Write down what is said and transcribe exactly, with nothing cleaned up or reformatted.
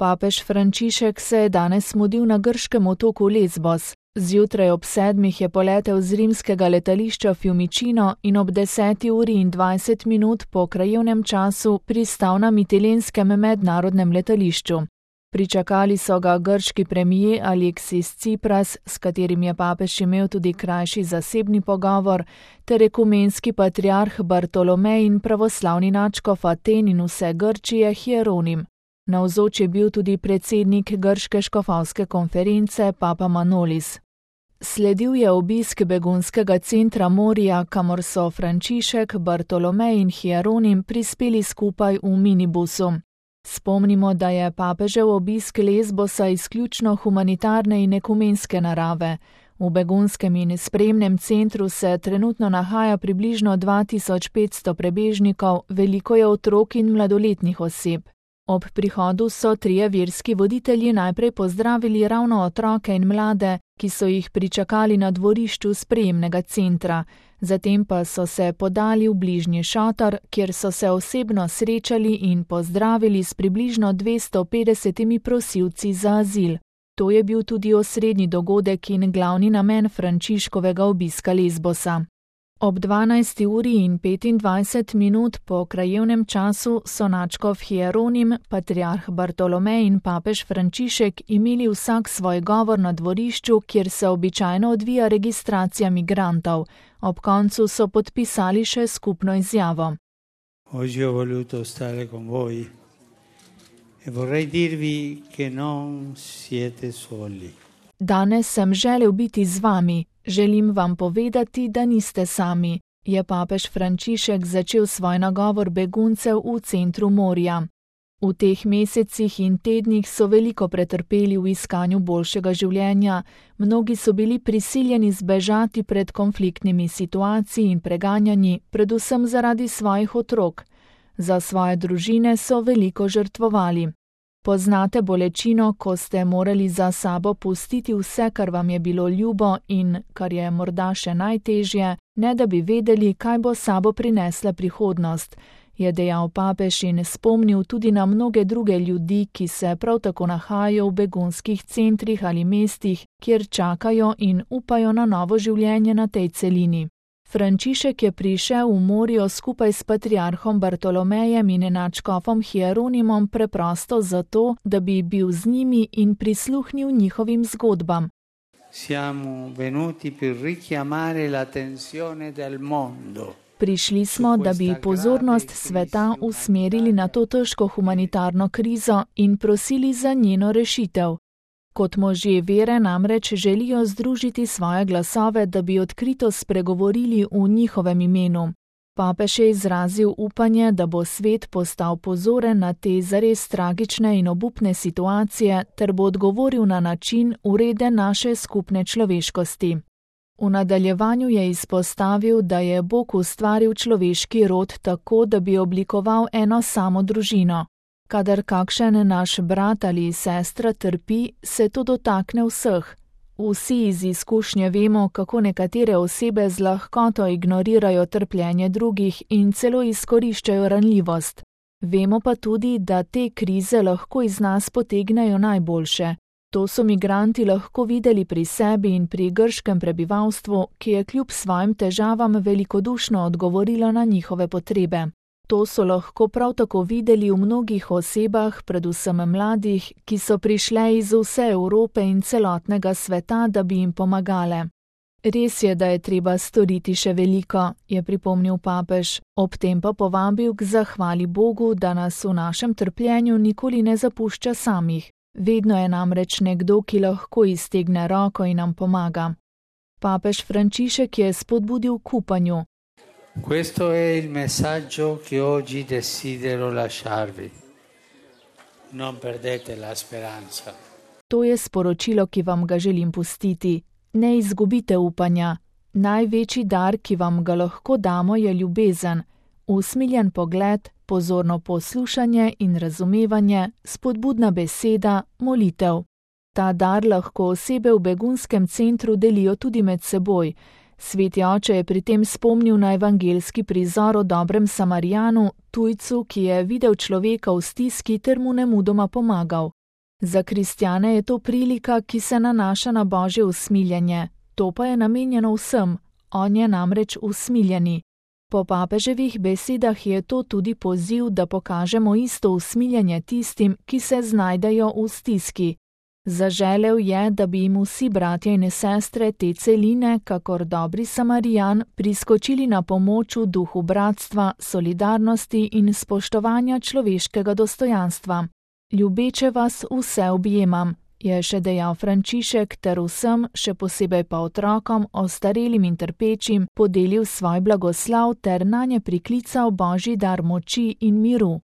Papež Frančišek se je danes mudil na grškem otoku Lesbos. Zjutraj ob sedmih je poletel z rimskega letališča Fiumicino in ob deseti uri in dvajset minut po krajevnem času pristal na Mitilenskem mednarodnem letališču. Pričakali so ga grški premijer Aleksis Tsipras, s katerim je papež imel tudi krajši zasebni pogovor, ter ekumenski patriarh Bartolomej in pravoslavni nadškof Aten in vse Grčije Hieronim. Navzoč je bil tudi predsednik grške škofovske konference Papa Manolis. Sledil je obisk begunskega centra Moria, kamor so Frančišek, Bartolomej in Hieronim prispeli skupaj v minibusu. Spomnimo, da je papežev obisk Lesbosa izključno humanitarne in ekumenske narave. V begunskem in spremnem centru se trenutno nahaja približno dva tisoč petsto prebežnikov, veliko je otrok in mladoletnih oseb. Ob prihodu so trije verski voditelji najprej pozdravili ravno otroke in mlade, ki so jih pričakali na dvorišču sprejemnega centra. Zatem pa so se podali v bližnji šotor, kjer so se osebno srečali in pozdravili s približno dvesto petdesetimi prosilci za azil. To je bil tudi osrednji dogodek in glavni namen Frančiškovega obiska Lesbosa. Ob dvanajsti uri in petindvajset minut po krajevnem času so nadškof Hieronim, patriarh Bartolomej in papež Frančišek imeli vsak svoj govor na dvorišču, kjer se običajno odvija registracija migrantov. Ob koncu so podpisali še skupno izjavo. Oggi ho voluto stare con voi e vorrei dirvi che non siete soli. Danes sem želel biti z vami. Želim vam povedati, da niste sami, je papež Frančišek začel svoj nagovor beguncev v centru Moria. V teh mesecih in tednih so veliko pretrpeli v iskanju boljšega življenja, mnogi so bili prisiljeni zbežati pred konfliktnimi situacijami in preganjanji, predvsem zaradi svojih otrok. Za svoje družine so veliko žrtvovali. Poznate bolečino, ko ste morali za sabo pustiti vse, kar vam je bilo ljubo in, kar je morda še najtežje, ne da bi vedeli, kaj bo sabo prinesla prihodnost, je dejal papež in spomnil tudi na mnoge druge ljudi, ki se prav tako nahajajo v begunskih centrih ali mestih, kjer čakajo in upajo na novo življenje na tej celini. Frančišek je prišel v Morio skupaj s patriarhom Bartolomejem in nadškofom Hieronimom preprosto zato, da bi bil z njimi in prisluhnil njihovim zgodbam. Siamo venuti per richiamare l'attenzione del mondo. Prišli smo, da bi pozornost sveta usmerili na to težko humanitarno krizo in prosili za njeno rešitev. Kot možje vere namreč želijo združiti svoje glasove, da bi odkrito spregovorili v njihovem imenu. Papež je izrazil upanje, da bo svet postal pozoren na te zares tragične in obupne situacije ter bo odgovoril na način ureden naše skupne človeškosti. V nadaljevanju je izpostavil, da je Bog ustvaril človeški rod tako, da bi oblikoval eno samo družino. Kadar kakšen naš brat ali sestra trpi, se to dotakne vseh. Vsi iz izkušnje vemo, kako nekatere osebe z lahkoto ignorirajo trpljenje drugih in celo izkoriščajo ranljivost. Vemo pa tudi, da te krize lahko iz nas potegnejo najboljše. To so migranti lahko videli pri sebi in pri grškem prebivalstvu, ki je kljub svojim težavam velikodušno odgovorilo na njihove potrebe. To so lahko prav tako videli v mnogih osebah, predvsem mladih, ki so prišle iz vse Evrope in celotnega sveta, da bi jim pomagale. Res je, da je treba storiti še veliko, je pripomnil papež, ob tem pa povabil k zahvali Bogu, da nas v našem trpljenju nikoli ne zapušča samih. Vedno je namreč nekdo, ki lahko iztegne roko in nam pomaga. Papež Frančišek je spodbudil k upanju. Questo è il messaggio che oggi desidero lasciarvi. Non perdete la speranza. To je sporočilo, ki vam ga želim pustiti. Ne izgubite upanja. Največji dar, ki vam ga lahko damo, je ljubezen. Usmiljen pogled, pozorno poslušanje in razumevanje, spodbudna beseda, molitev. Ta dar lahko osebe v begunskem centru delijo tudi med seboj. Sveti oče je pri tem spomnil na evangeljski prizor o dobrem Samarijanu, tujcu, ki je videl človeka v stiski ter mu nemudoma pomagal. Za kristjane je to prilika, ki se nanaša na Božje usmiljenje. To pa je namenjeno vsem, on je namreč usmiljeni. Po papeževih besedah je to tudi poziv, da pokažemo isto usmiljenje tistim, ki se znajdejo v stiski. Zaželel je, da bi jim vsi bratje in sestre te celine, kakor dobri Samarijan, priskočili na pomoč v duhu bratstva, solidarnosti in spoštovanja človeškega dostojanstva. Ljubeče vas vse objemam, je še dejal Frančišek ter vsem, še posebej pa otrokom, ostarelim in trpečim, podelil svoj blagoslav ter nanje priklical Božji dar moči in miru.